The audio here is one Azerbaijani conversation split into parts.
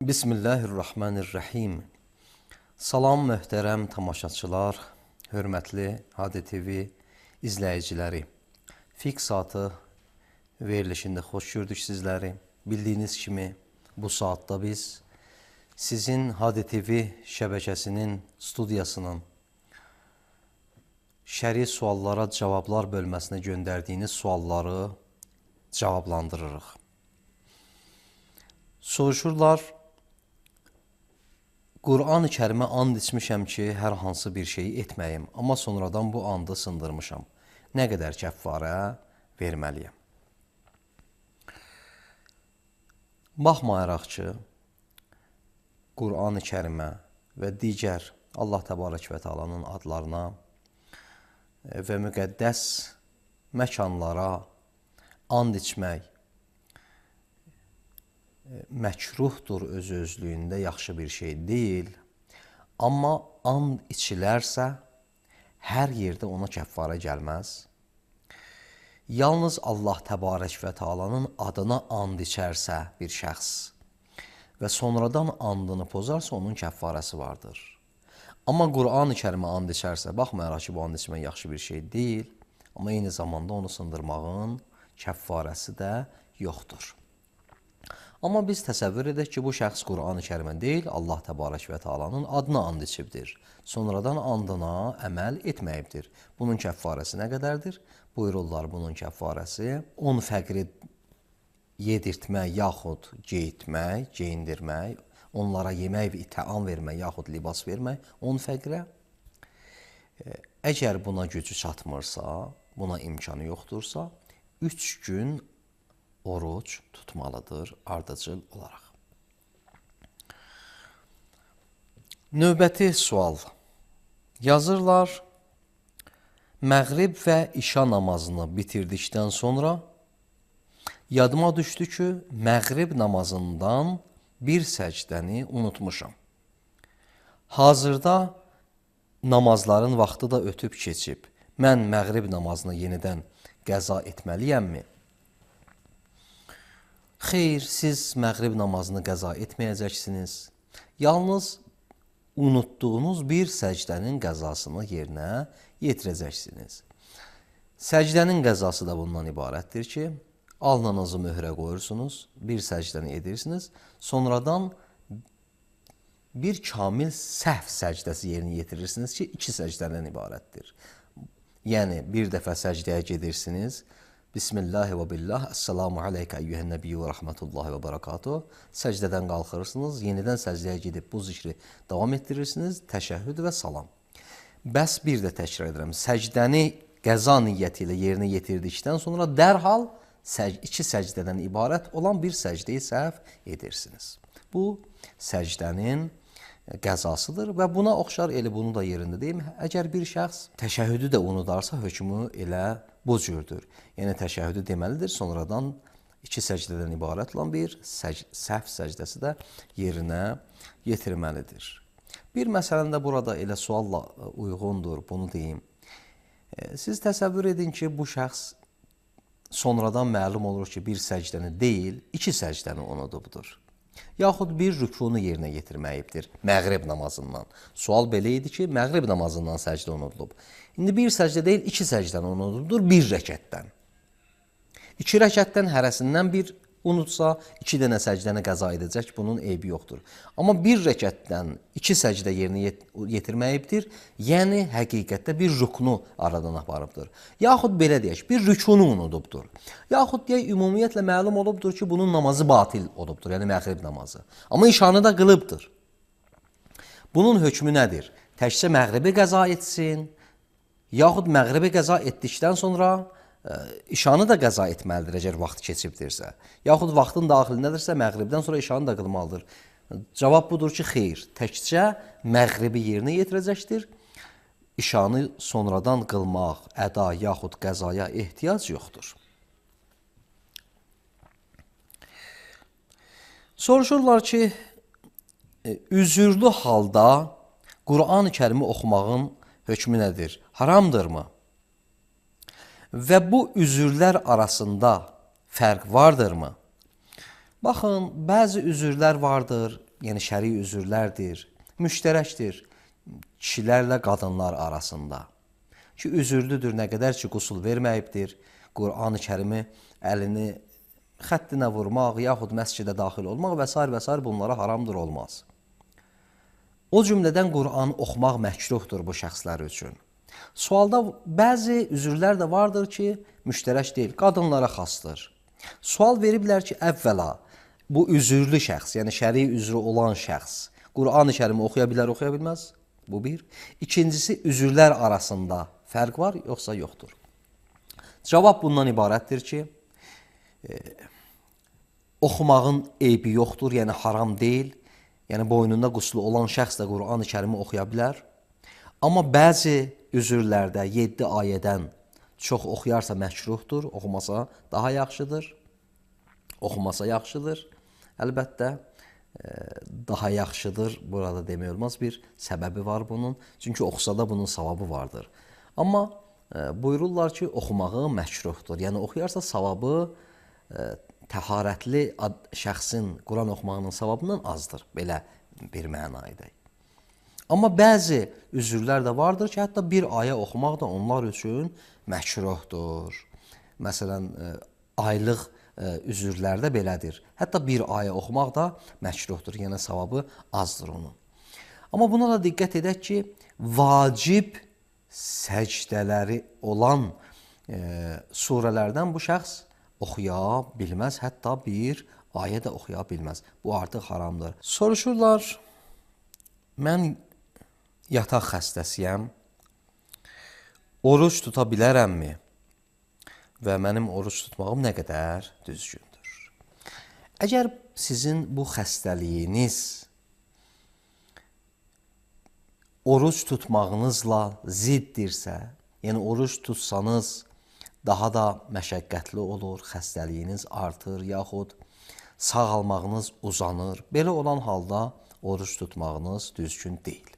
Bismillahirrahmanirrahim. Salam möhtərəm tamaşaçılar, hörmətli HDTV izləyiciləri. Fiqh saatı verilişində xoş gördük sizləri. Bildiyiniz kimi bu saatda biz sizin HDTV şəbəkəsinin studiyasının şəri suallara cavablar bölməsinə göndərdiyiniz sualları cavablandırırıq. Soruşurlar, Qur'an-ı Kərimə and içmişəm ki, hər hansı bir şeyi etməyim, amma sonradan bu andı sındırmışam. Nə qədər kəffarə verməliyəm? Baxmayaraq ki, Qur'an-ı Kərimə və digər Allah Təbarək və Teala'nın adlarına və müqəddəs məkanlara and içmək məkruhdur öz-özlüyündə, yaxşı bir şey deyil. Amma and içilərsə, hər yerdə ona kəffara gəlməz. Yalnız Allah Təbarək və Teala'nın adına and içərsə bir şəxs və sonradan andını pozarsa, onun kəffarəsi vardır. Amma Qur'an-ı Kərimə and içərsə, baxmayaraq ki, bu and içmək yaxşı bir şey deyil, amma eyni zamanda onu sındırmağın kəffarəsi də yoxdur. Amma biz təsəvvür edək ki, bu şəxs Qur'an-ı Kərimə deyil, Allah Təbarək və Teala'nın adına and içibdir. Sonradan andına əməl etməyibdir. Bunun kəffarəsi nə qədərdir? Buyururlar, bunun kəffarəsi 10 fəqri yedirtmək, yaxud geyitmək, geyindirmək, onlara yemək və təam vermək, yaxud libas vermək 10 fəqrə. Əgər buna gücü çatmırsa, buna imkanı yoxdursa, 3 gün oruc tutmalıdır ardıcıl olaraq. Növbəti sual. Yazırlar, məğrib və işa namazını bitirdikdən sonra yadıma düşdü ki, məğrib namazından bir səcdəni unutmuşam. Hazırda namazların vaxtı da ötüb keçib. Mən məğrib namazını yenidən qəza etməliyəmmi? Xeyr, siz məğrib namazını qəza etməyəcəksiniz. Yalnız unutduğunuz bir səcdənin qəzasını yerinə yetirəcəksiniz. Səcdənin qəzası da bundan ibarətdir ki, alnınızı möhrə qoyursunuz, bir səcdəni edirsiniz, sonradan bir kamil səhv səcdəsi yerinə yetirirsiniz ki, 2 səcdədən ibarətdir. Yəni, bir dəfə səcdəyə gedirsiniz, Bismillahi və billah, Esselamu aleykə eyyühən nəbiyyü və rəhmətullahi və barakatuhu. Səcdədən qalxırsınız, yenidən səcdəyə gedib bu zikri davam etdirirsiniz, təşəhhüd və salam. Bəs bir də təkrar edirəm, səcdəni qəza niyyəti ilə yerinə yetirdikdən sonra dərhal 2 səcdədən ibarət olan bir səcdəyi səhv edirsiniz. Bu, səcdənin qəzasıdır və buna oxşar elə bunu da yerində deyim. Əgər bir şəxs təşəhhüdü də unudarsa, hökmü elə bu cürdür. Yəni, təşəhhüdü deməlidir, sonradan 2 səcdədən ibarət olan bir səhv səcdəsi də yerinə yetirməlidir. Bir məsələn də burada elə sualla uyğundur, bunu deyim. Siz təsəvvür edin ki, bu şəxs sonradan məlum olur ki, bir səcdəni deyil, 2 səcdəni unudubdur. Yaxud bir rükunu yerinə yetirməyibdir məğrib namazından. Sual belə idi ki, məğrib namazından səcdə unudulub. İndi bir səcdə deyil, 2 səcdən unuduldur, bir rəkətdən. 2 rəkətdən hərəsindən bir unutsa, 2 dənə səcdəni qəza edəcək, bunun eybi yoxdur. Amma bir rəkətdən 2 səcdə yerinə yetirməyibdir, yəni həqiqətdə bir rükunu aradan aparıbdır. Yaxud belə deyək, bir rükunu unudubdur. Yaxud deyək, ümumiyyətlə məlum olubdur ki, bunun namazı batil olubdur, yəni məğrib namazı. Amma işanı da qılıbdır. Bunun hökmü nədir? Təkcə məğribi qəza etsin, yaxud məğribi qəza etdikdən sonra işanı da qəza etməlidir, əgər vaxt keçibdirsə. Yaxud vaxtın daxilindədirsə, məğribdən sonra işanı da qılmalıdır. Cavab budur ki, xeyr, təkcə məğribi yerinə yetirəcəkdir. İşanı sonradan qılmaq, əda yaxud qəzaya ehtiyac yoxdur. Soruşurlar ki, üzürlü halda Qur'an-ı Kərimi oxumağın hökmü nədir? Haramdırmı? Və bu üzürlər arasında fərq vardırmı? Baxın, bəzi üzürlər vardır, yəni şəri üzürlərdir, müştərəkdir kişilərlə qadınlar arasında. Ki, üzürlüdür nə qədər ki, qusul verməyibdir, Qur'an-ı Kərimi əlini xəttinə vurmaq, yaxud məscidə daxil olmaq və s. bunlara haramdır, olmaz. O cümlədən Qur'an oxumaq məkruhdur bu şəxslər üçün. Sualda bəzi üzürlər də vardır ki, müştərək deyil, qadınlara xasdır. Sual veriblər ki, əvvəla bu üzürlü şəxs, yəni şəri üzrü olan şəxs Qur'an-ı Kərimi oxuya bilər, oxuya bilməz? Bu bir. İkincisi, üzürlər arasında fərq var, yoxsa yoxdur? Cavab bundan ibarətdir ki, oxumağın eybi yoxdur, yəni haram deyil. Yəni boynunda quslu olan şəxs də Qur'an-ı Kərimi oxuya bilər. Amma bəzi üzürlərdə 7 ayədən çox oxuyarsa məkruhdur, oxumasa daha yaxşıdır. Oxumasa yaxşıdır. Əlbəttə, daha yaxşıdır, burada demək olmaz, bir səbəbi var bunun. Çünki oxusa da bunun savabı vardır. Amma buyururlar ki, oxumağı məkruhdur. Yəni oxuyarsa savabı təharətli şəxsin Quran oxumağının savabından azdır. Belə bir məna edək. Amma bəzi üzürlər də vardır ki, hətta bir ayə oxumaq da onlar üçün məkruhdur. Məsələn, aylıq üzürlərdə belədir. Hətta bir ayə oxumaq da məkruhdur, yəni savabı azdır onun. Amma buna da diqqət edək ki, vacib səcdələri olan surələrdən bu şəxs oxuya bilməz, hətta bir ayə də oxuya bilməz. Bu artıq haramdır. Soruşurlar, mən yataq xəstəsiyəm, oruç tuta bilərəmmi? Və mənim oruç tutmağım nə qədər düzgündür? Əgər sizin bu xəstəliyiniz oruç tutmağınızla ziddirsə, yəni oruç tutsanız daha da məşəqqətli olur, xəstəliyiniz artır, yaxud sağalmağınız uzanır. Belə olan halda oruç tutmağınız düzgün deyil.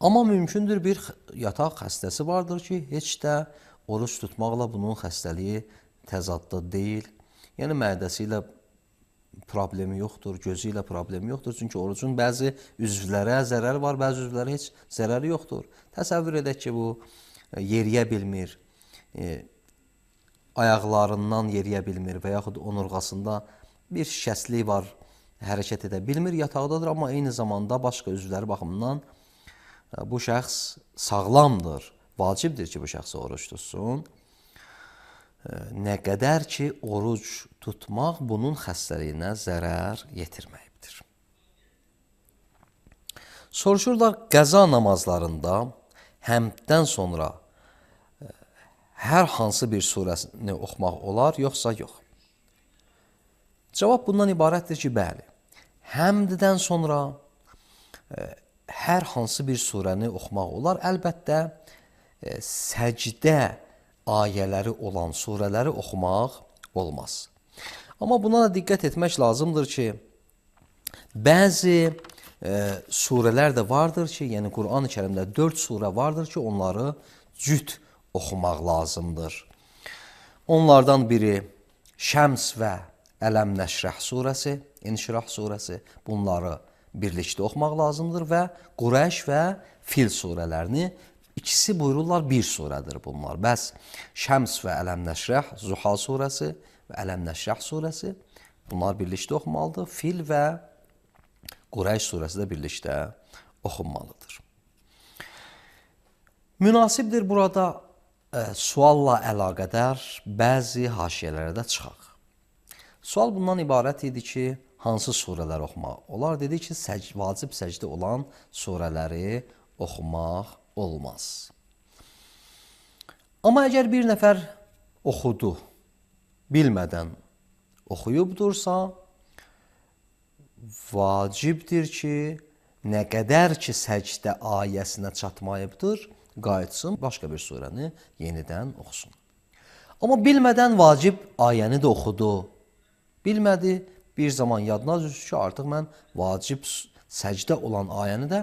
Amma mümkündür bir yataq xəstəsi vardır ki, heç də oruç tutmaqla bunun xəstəliyi təzadda deyil. Yəni mədəsi ilə problemi yoxdur, gözü ilə problemi yoxdur. Çünki orucun bəzi üzvlərə zərəri var, bəzi üzvlərə heç zərəri yoxdur. Təsəvvür edək ki, bu yeriyə bilmir, ayaqlarından yeriyə bilmir və yaxud onurğasında bir şikəstlik var, hərəkət edə bilmir, yataqdadır, amma eyni zamanda başqa üzvləri baxımından bu şəxs sağlamdır, vacibdir ki, bu şəxsə oruç tutsun. Nə qədər ki, oruc tutmaq bunun xəstəliyinə zərər yetirməyibdir. Soruşurlar, qəza namazlarında həmddən sonra hər hansı bir surəsini oxumaq olar, yoxsa yox? Cavab bundan ibarətdir ki, bəli. Həmddən sonra hər hansı bir surəni oxumaq olar. Əlbəttə, səcdə ayələri olan surələri oxumaq olmaz. Amma buna da diqqət etmək lazımdır ki, bəzi surələr də vardır ki, yəni Quran-ı Kərimdə 4 surə vardır ki, onları cüt oxumaq lazımdır. Onlardan biri Şəms və Ələm Nəşrəh surəsi, İnşirah surəsi, bunları birlikdə oxumaq lazımdır və Qureyş və Fil surələrini, ikisi buyururlar bir surədir bunlar. Bəs Şəms və Ələm Nəşrəh, Zuha surəsi və Ələm Nəşrəh surəsi, bunlar birlikdə oxumalıdır. Fil və Qureyş surəsi də birlikdə oxunmalıdır. Münasibdir burada sualla əlaqədar bəzi haşiyələrə də çıxaq. Sual bundan ibarət idi ki, hansı surələri oxumaq olar? Dedi ki, vacib səcdə olan surələri oxumaq olmaz. Amma əgər bir nəfər oxudu, bilmədən oxuyubdursa, vacibdir ki, nə qədər ki səcdə ayəsinə çatmayıbdır, qayıtsın, başqa bir surəni yenidən oxusun. Amma bilmədən vacib ayəni də oxudu. Bilmədi, bir zaman yadına düşdü ki, artıq mən vacib səcdə olan ayəni də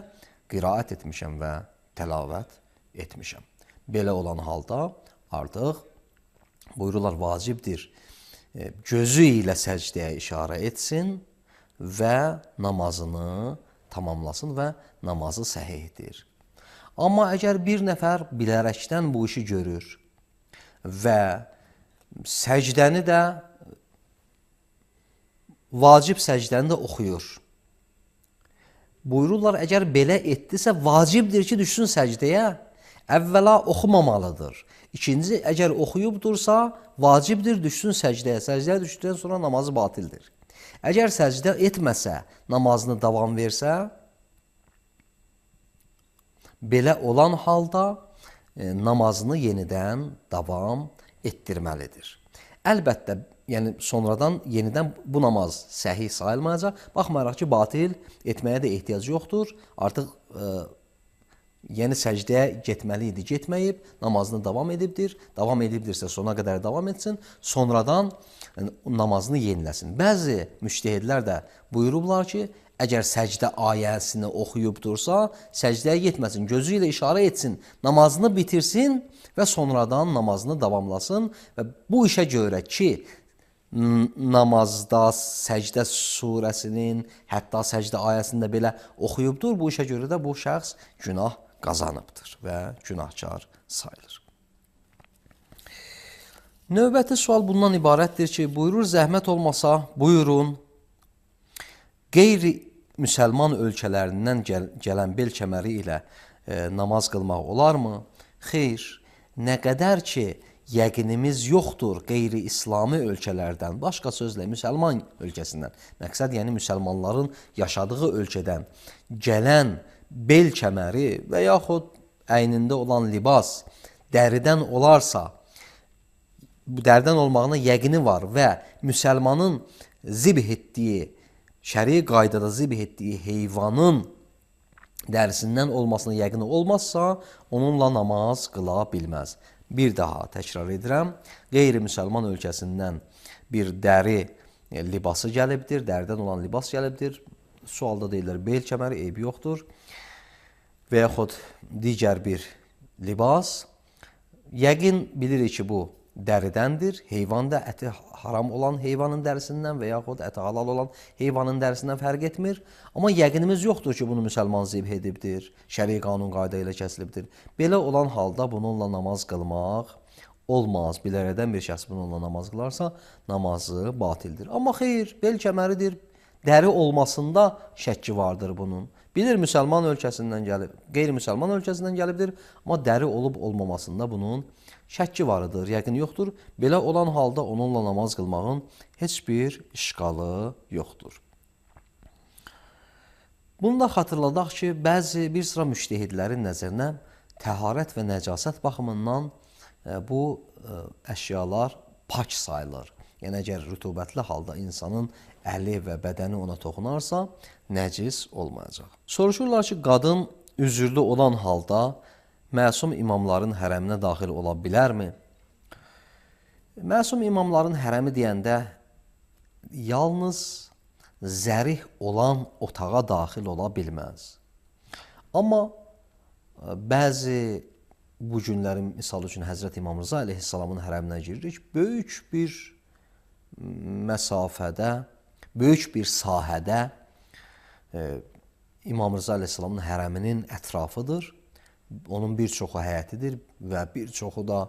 qiraət etmişəm və təlavət etmişəm. Belə olan halda artıq buyururlar vacibdir. Gözü ilə səcdəyə işarə etsin və namazını tamamlasın və namazı səhihdir. Amma əgər bir nəfər bilərəkdən bu işi görür və səcdəni də, vacib səcdəni də oxuyur. Buyururlar, əgər belə etdisə, vacibdir ki, düşsün səcdəyə, əvvəla oxumamalıdır. İkinci, əgər oxuyubdursa, vacibdir, düşsün səcdəyə. Səcdəyə düşdükdən sonra namazı batildir. Əgər səcdə etməsə, namazını davam versə, belə olan halda namazını yenidən davam etdirməlidir. Əlbəttə, yəni sonradan yenidən bu namaz səhih sayılmayacaq. Baxmayaraq ki, batil etməyə də ehtiyac yoxdur. Artıq yəni səcdəyə getməli idi, getməyib, namazını davam edibdir. Davam edibdirsə sona qədər davam etsin, sonradan namazını yeniləsin. Bəzi müctəhidlər də buyurublar ki, əgər səcdə ayəsini oxuyubdursa, səcdəyə getməsin, gözü ilə işarə etsin, namazını bitirsin və sonradan namazını davamlasın. Və bu işə görə ki, namazda səcdə surəsinin, hətta səcdə ayəsində belə oxuyubdur, bu işə görə də bu şəxs günah qazanıbdır və günahkar sayılır. Növbəti sual bundan ibarətdir ki, buyurur, zəhmət olmasa, buyurun, qeyri-müsəlman ölkələrindən gələn bel kəməri ilə namaz qılmaq olarmı? Xeyr, nə qədər ki, yəqinimiz yoxdur qeyri-İslami ölkələrdən, başqa sözlə müsəlman ölkəsindən, məqsəd yəni müsəlmanların yaşadığı ölkədən gələn bel kəməri və yaxud əynində olan libas dəridən olarsa, bu dəridən olmağına yəqini var və müsəlmanın zibh etdiyi, şəri qaydada zibh etdiyi heyvanın dərisindən olmasına yəqini olmazsa, onunla namaz qıla bilməz. Bir daha təkrar edirəm, qeyri-müsəlman ölkəsindən bir dəri libası gəlibdir, dəridən olan libas gəlibdir. Sualda deyirlər, bel kəməri eybi yoxdur və yaxud digər bir libas. Yəqin bilirik ki, bu dəridəndir. Heyvan da əti haram olan heyvanın dərisindən və yaxud əti halal olan heyvanın dərisindən fərq etmir. Amma yəqinimiz yoxdur ki, bunu müsəlman zibh edibdir, şəri qanun qayda ilə kəsilibdir. Belə olan halda bununla namaz qılmaq olmaz. Bilərədən bir şəxs bununla namaz qılarsa, namazı batildir. Amma xeyr, bel kəməridir, dəri olmasında şəkki vardır bunun. Bilir, müsəlman ölkəsindən gəlib, qeyri-müsəlman ölkəsindən gəlibdir, amma dəri olub olmamasında bunun şəkki varıdır, yəqin yoxdur. Belə olan halda onunla namaz qılmağın heç bir işqalı yoxdur. Bunu da xatırladaq ki, bəzi bir sıra müştəhidlərin nəzərinə təharət və nəcasət baxımından bu əşyalar pak sayılır. Yəni, əgər rütubətli halda insanın əli və bədəni ona toxunarsa, nəcis olmayacaq. Soruşurlar ki, qadın üzürlü olan halda məsum imamların hərəminə daxil ola bilərmi? Məsum imamların hərəmi deyəndə yalnız zərih olan otağa daxil ola bilməz. Amma bəzi bu günlərin misal üçün Həzrət İmam Rza əleyhissalamın hərəminə giririk, böyük bir məsafədə, böyük bir sahədə İmam Rza əleyhissalamın hərəminin ətrafıdır. Onun bir çoxu həyətidir və bir çoxu da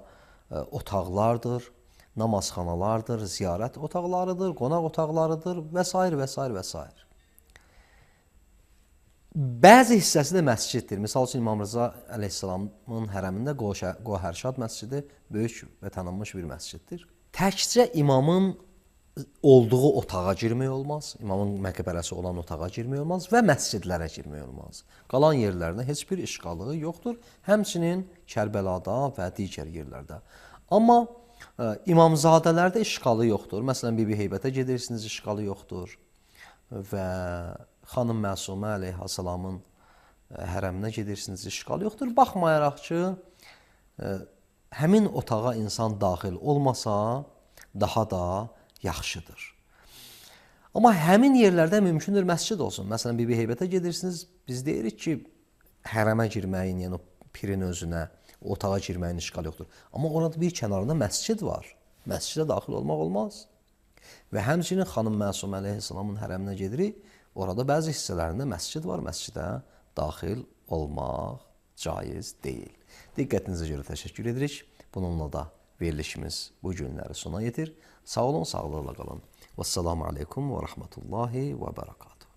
otaqlardır, namazxanalardır, ziyarət otaqlarıdır, qonaq otaqlarıdır və s. və s. və s. Bəzi hissəsi də məsciddir. Misal üçün İmam Rza əleyhissalamın hərəmində Qohərşad məscidi böyük və tanınmış bir məsciddir. Təkcə imamın olduğu otağa girmək olmaz. İmamın məqbərəsi olan otağa girmək olmaz və məscidlərə girmək olmaz. Qalan yerlərdə heç bir işğalı yoxdur. Həmçinin Kərbəlada və digər yerlərdə. Amma İmamzadələrdə işğalı yoxdur. Məsələn, Bibi Heybətə gedirsiniz, işğalı yoxdur. Və xanım Məsumə əleyhissalamın hərəminə gedirsiniz, işğalı yoxdur. Baxmayaraq ki, həmin otağa insan daxil olmasa, daha da yaxşıdır. Amma həmin yerlərdə mümkündür məscid olsun. Məsələn, Bibi Heybətə gedirsiniz, biz deyirik ki, hərəmə girməyin, yəni o pirin özünə, otağa girməyin işğalı yoxdur. Amma orada bir kənarında məscid var. Məscidə daxil olmaq olmaz. Və həmçinin xanım Məsum əleyhissalamın hərəminə gedirik, orada bəzi hissələrində məscid var, məscidə daxil olmaq caiz deyil. Diqqətinizə görə təşəkkür edirik. Bununla da verilişimiz bu günləri sona yetir. Sağ olun, sağlıqla qalın. Vəssalamu aleykum və rəhmətullahi və bərəkatuhu.